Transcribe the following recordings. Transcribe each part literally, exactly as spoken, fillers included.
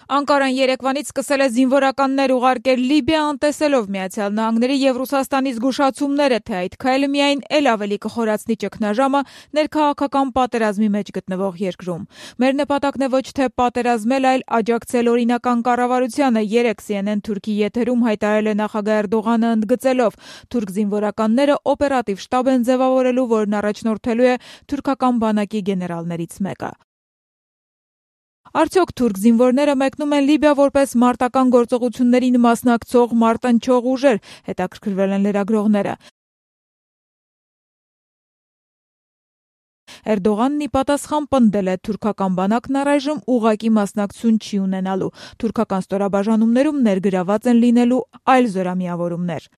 Անկարան երեկվանից սկսել է զինվորականներ ուղարկել Լիբիա, անտեսելով Միացյալ Նահանգների եւ Ռուսաստանի զգուշացումները, թե այդ քայլը միայն ել ավելի կխորացնի ճգնաժամը ներքաղաքական պատերազմի մեջ գտնվող երկրում։ Մեր նպատակն է ոչ թե պատերազմել, այլ աջակցել օրինական կառավարությանը, երեկ Սի Են Են Թուրքի եթերում հայտարարել է նախագահ Էրդողանը, ընդգծելով, թուրք զինվորականները օպերատիվ շտաբ են ձևավորելու, որն առաջնորդելու է թուրքական բանակի գեներալներից մեկը։ Արդյոք թուրք զինվորները մեկնում են Լիբիա որպես մարտական գործողություններին մասնակցող մարտնչող ուժեր, հետաքրքրվել են լրագրողները։ Էրդողանն ի պատասխան պնդել է, թուրքական բանակն առայժմ ուղղակի մասնակցություն չի ունենալու, թուրքական ստորաբաժանումներում ներգրաված են լինելու այլ զորամիավորումներ։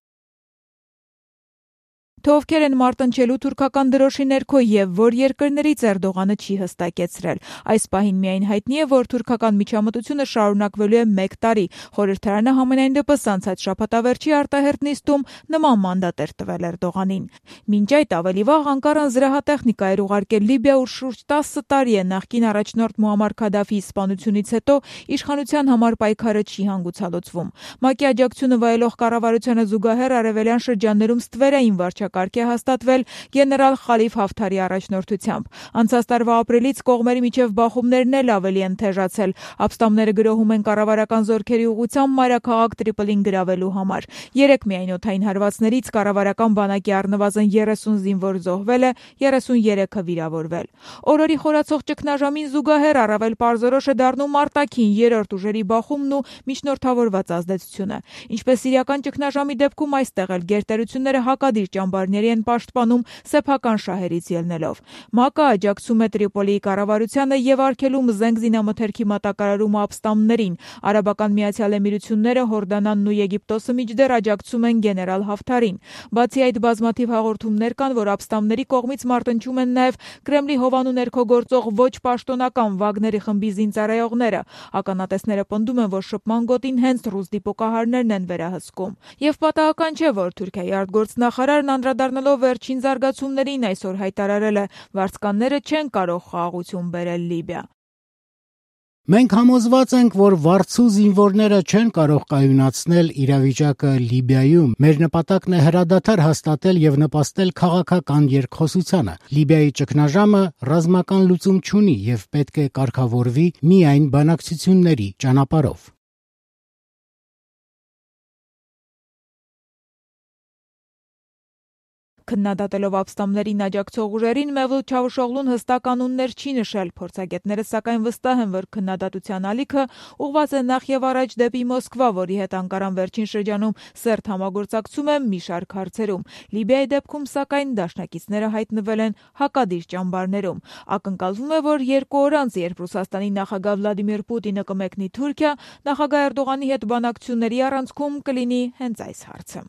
Թե ովքեր են մարտնչելու թուրքական դրոշի ներքո եւ որ երկրներից Էրդողանը չի հստակեցրել։ Այս պահին միայն հայտնի է, որ թուրքական միջամտությունը շարունակվելու է մեկ տարի։ Խորհրդարանը համենայն դեպս անցած շաբաթավերջի արտահերթ նիստում նման մանդատ էր տվել Էրդողանին։ Մինչ այդ ավելի վաղ Անկարան զրահատեխնիկա էր ուղարկել Լիբիա, ուր շուրջ տասը տարի է նախկին առաջնորդ Մուամմար Քադաֆիի սպանությունից հետո իշխանության համար պայքարը չի հանգուցալուծվում։ ՄԱԿ-ի աջակցությունը վայելող կառավարությանը զուգահեռ արևելյան շրջաններում ստվերային վարչակարգ է հաստատվել գեներալ Խալիֆ Հաֆթարի առաջնորդությամբ։ Անցած տարվա ապրիլից կողմերի միջև բախումներն էլ ավելի են թեժացել։ Ապստամբները գրոհում են կառավարական զորքերի ուղղությամբ մայրաքաղաք Տրիպոլին գրավելու համար։ Երեք միայն օդային հարվածներից կառավարական բանակի առնվազն երեսուն զինվոր զոհվել է, երեսուներեքը վիրավորվել։ Օրորի խորացող ճգնաժամին զուգահեռ առավել պարզորոշ է դառնում արտաքին երրորդ ուժերի բախումն ու միջնորդավորված ազդեցությունը։ Ինչպես սիրիական ճգնաժամի դեպքում այստեղ էլ գերտերությունները հակադիր ճամբարների են պաշտպանում սեփական շահերից ելնելով։ ՄԱԿ-ը աջակցում է Տրիպոլիի կառավարությանը եւ արգելում զենք զինամթերքի մատակարարումը ապստամբներին։ Արաբական Միացյալ Էմիրությունները, Հորդանանն ու Եգիպտոսը մինչդեռ աջակցում են գեներալ Հաֆթարին։ Բացի այդ, բազմաթիվ հաղորդումներ կան, որ ապստամբների կողմից մարտնչում են նաեւ Կրեմլի հովանու ներքո գործող ոչ պաշտոնական Վագների խմբի զինծառայողները։ Ականատեսները պնդում են, որ շփման գոտին հենց ռուս դիպուկահարներն են վերահսկում։ Եվ պատահական չէ, որ Թուրքիայի արտգործնախարարն անդրադառնալով վերջին զարգացումներին այսօր հայտարարել է, վարձկանները չեն կարող խաղաղություն բերել Լիբիա։ Մենք համոզված ենք, որ վարձու զինվորները չեն կարող կայունացնել իրավիճակը Լիբիայում։ Մեր նպատակն է հրադադար հաստատել եւ նպաստել քաղաքական երկխոսությանը։ Լիբիայի ճգնաժամը ռազմական լուծում չունի եւ պետք է կարգավորվի միայն բանակցությունների ճանապարհով։ Քննադատելով ապստամբներին աջակցող ուժերին, Մևլութ Չավուշօղլուն հստակ անուններ չի նշել։ Փորձագետները սակայն վստահ են, որ քննադատության ալիքը ուղղված է նախ եւ առաջ դեպի Մոսկվա, որի հետ Անկարան վերջին շրջանում սերտ համագործակցում է մի շարք հարցերում։ Լիբիայի դեպքում սակայն դաշնակիցները հայտնվել են հակադիր ճամբարներում։ Ակնկալվում է, որ երկու օր անց, երբ Ռուսաստանի նախագահ Վլադիմիր Պուտինը կմեկնի Թուրքիա, նախագահ Էրդողանի հետ բանակցությունների առանցքում կլինի հենց այս հարցը։